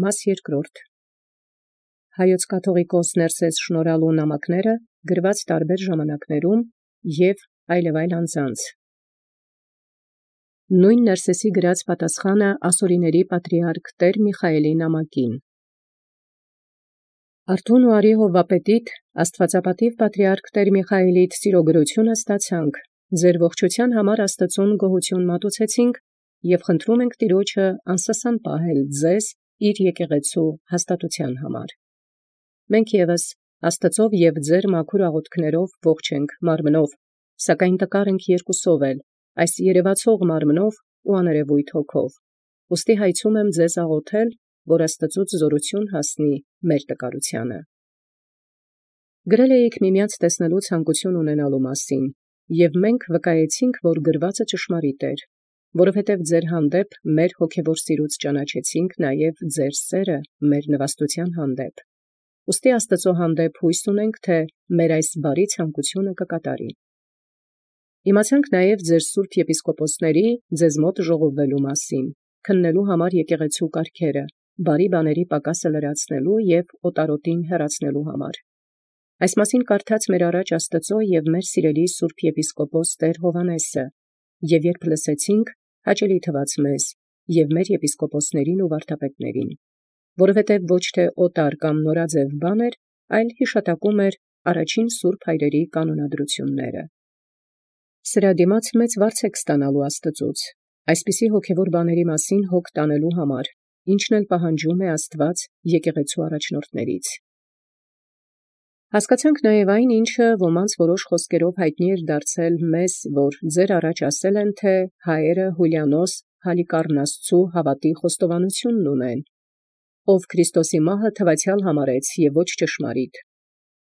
Մաս երկրորդ. Հայոց կաթողիկոս Ներսես շնորհալու նամակները գրված տարբեր ժամանակներում և այլև այլ անձանց։ Նույն Ներսեսի գրած պատասխանը ասորիների պատրիարք Տեր Միխայելի նամակին։ Արթուն ու արի հովվապետիտ աստվածապատիվ պատրիարք Տեր Միխայելիդ սիրոգրությունը ստացանք, ձեր ողջության համար Աստծուն գոհություն մատուցեցինք և խնդրում ենք Տիրոջը անսասան պահել ձեզ իր եկեղեցու հաստատության համար։ Մենք ևս Աստծով և ձեր մաքուր աղոթքներով ողջ ենք մարմնով, սակայն տկար ենք երկուսով էլ, այս երևացող մարմնով ու աներևույթ հոգով։ Ուստի հայցում եմ ձեզ աղոթել, որ Աստծուց զորություն հասնի մեր տկարությանը։ Գրել էիք միմյանց տեսնելու ցանկություն ունենալու մասին, և մենք վկայեցինք, որ գրվածը ճշմարիտ էր, որովհետև ձեր հանդեպ մեր հոգևոր սիրուց ճանաչեցինք նաև ձեր սերը մեր նվաստության հանդեպ։ Ուստի Աստծո հանդեպ հույս ունենք, թե մեր այս բարի ցանկությունը կկատարի։ Իմացանք նաև ձեր սուրբ եպիսկոպոսների ձեզ մոտ ժողովվելու մասին, քննելու համար եկեղեցու կարգերը, բարի բաների պակասը լրացնելու և օտարոտին հեռացնելու համար։ Այս մասին կարդաց մեր առաջ Աստծո և մեր սիրելի սուրբ եպիսկոպոս Տեր Հովհաննեսը, և երբ լսեցինք, հաճելի թվաց մեզ և մեր եպիսկոպոսներին ու վարդապետներին, որովհետև ոչ թե օտար կամ նորաձև բան էր, այլ հիշատակում էր առաջին սուրբ հայրերի կանոնադրությունները։ Սրա դիմաց մեծ վարձ եք ստանալու Աստծուց, այսպիսի հոգևոր բաների մասին հոգ տանելու համար, ինչն էլ պահանջում է Աստված եկեղեցու առաջնորդներից։ Հասկացանք նաև այն, ինչը ոմանց որոշ խոսքերով հայտնի էր դարձել մեզ, որ ձեր առաջ ասել են, թե հայերը Հուլիանոս Հալիկառնաստու հավատի խոստովանությունն ունեն, ով Քրիստոսի մահը թվացյալ համարեց և ոչ ճշմարիտ։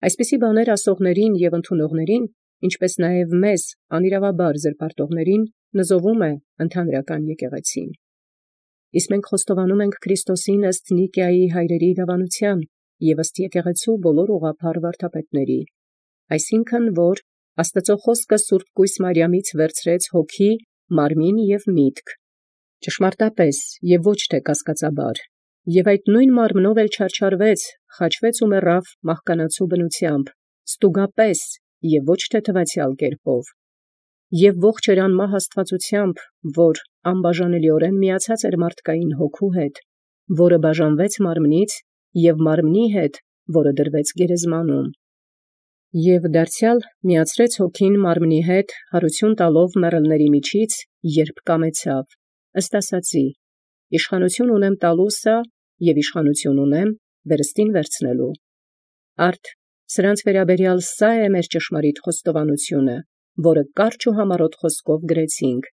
Այսպիսի բաներ ասողներին և ընդունողներին, ինչպես նաև մեզ, անիրավաբար զրպարտողներին, նզովում է ընդհանրական եկեղեցին։ Իսկ մենք խոստովանում ենք Քրիստոսին ըստ Նիկիայի հայրերի դավանության և ըստ եկեղեցու բոլոր ուղղափառ վարդապետների, այսինքն, որ Աստծո խոսքը Սուրբ Կույս Մարիամից վերցրեց հոգի, մարմին և միտք, ճշմարտապես և ոչ թե կասկածաբար, և այդ նույն մարմնով էլ չարչարվեց, խաչվեց ու մեռավ մահկանացու բնությամբ, ստուգապես և ոչ թե թվացյալ կերպով, և ողջ էր անմահ աստվածությամբ, որ անբաժանելիորեն միացած էր մարդկային հոգու հետ, որը բաժանվեց մարմնից և մարմնի հետ, որը դրվեց գերեզմանում, և դարձյալ միացրեց հոգին մարմնի հետ հարություն տալով մեռելների միջից, երբ կամեցավ, ըստ ասացի. իշխանություն ունեմ տալու սա և իշխանություն ունեմ վերստին վերցնելու։ Արդ սրանց վերաբերյալ սա է մեր ճշմարիտ խոստովանությունը, որը կարճ ու համառոտ խոսքով գրեցինք,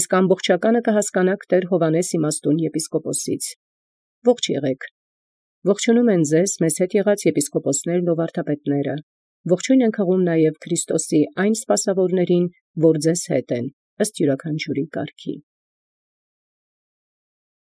իսկ ամբողջականը կհասկանաք Տեր Հովհաննես իմաստուն եպիսկոպոսից։ Ողջ եղեք։ Ողջունում են ձեզ մեզ հետ եղած եպիսկոպոսներն ու վարդապետները։ Ողջույն ենք հղում նաև Քրիստոսի այն սպասավորներին, որ ձեզ հետ են, ըստ յուրաքանչյուրի կարգի։